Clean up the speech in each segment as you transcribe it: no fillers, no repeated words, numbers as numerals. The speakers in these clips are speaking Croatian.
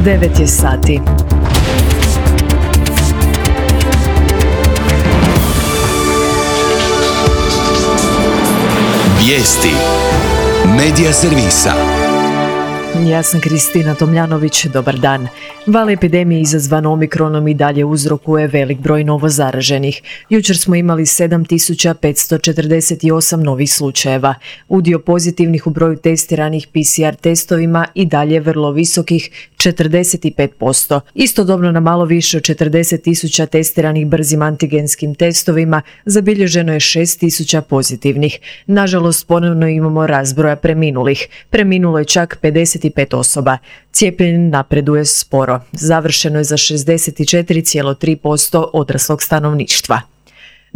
9 je sati. Vijesti Medija servisa. Ja sam Kristina Tomljanović, dobar dan. Val epidemije izazvan omikronom i dalje uzrokuje velik broj novozaraženih. Jučer smo imali 7548 novih slučajeva. Udio pozitivnih u broju testiranih PCR testovima i dalje vrlo visokih 45%. Istodobno na malo više od 40.000 testiranih brzim antigenskim testovima zabilježeno je 6.000 pozitivnih. Nažalost, ponovno imamo rast broja preminulih. Preminulo je čak 55 osoba. Cijepljenje napreduje sporo. Završeno je za 64,3% odraslog stanovništva.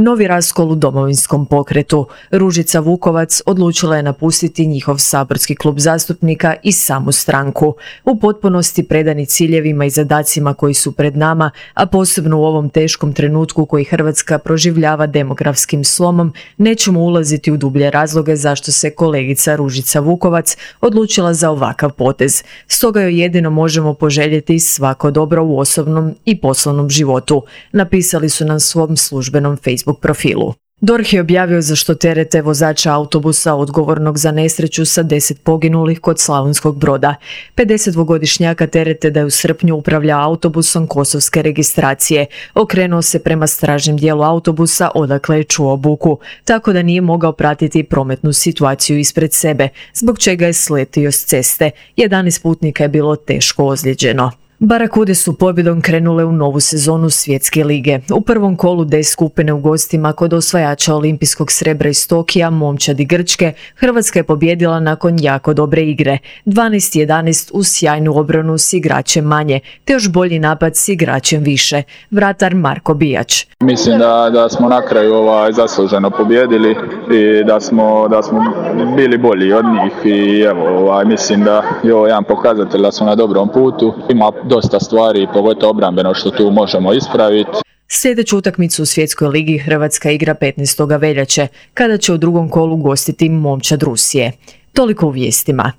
Novi raskol u Domovinskom pokretu. Ružica Vukovac odlučila je napustiti njihov saborski klub zastupnika i samu stranku. U potpunosti predani ciljevima i zadacima koji su pred nama, a posebno u ovom teškom trenutku koji Hrvatska proživljava demografskim slomom, nećemo ulaziti u dublje razloge zašto se kolegica Ružica Vukovac odlučila za ovakav potez. Stoga joj jedino možemo poželjeti svako dobro u osobnom i poslovnom životu, napisali su na svom službenom Facebook profilu. DORH je objavio zašto terete vozača autobusa odgovornog za nesreću sa 10 poginulih kod Slavonskog Broda. 52-godišnjaka terete da je u srpnju upravljao autobusom kosovske registracije. Okrenuo se prema stražnjem dijelu autobusa odakle je čuo buku, tako da nije mogao pratiti prometnu situaciju ispred sebe, zbog čega je sletio s ceste. 11 putnika je bilo teško ozlijeđeno. Barakude su pobjedom krenule u novu sezonu Svjetske lige. U prvom kolu D skupine u gostima kod osvajača olimpijskog srebra iz Tokija, momčadi Grčke, Hrvatska je pobijedila nakon jako dobre igre. 12-11 uz sjajnu obranu s igračem manje, te još bolji napad s igračem više. Vratar Marko Bijač. Mislim da smo na kraju zasluženo pobijedili i da smo bili bolji od njih i evo, mislim da je ovo jedan pokazatelj da smo na dobrom putu. Ima dosta stvari, pogotovo obrambeno, što tu možemo ispraviti. Sljedeću utakmicu u Svjetskoj ligi Hrvatska igra 15. veljače, kada će u drugom kolu gostiti momčad Rusije. Toliko u vijestima.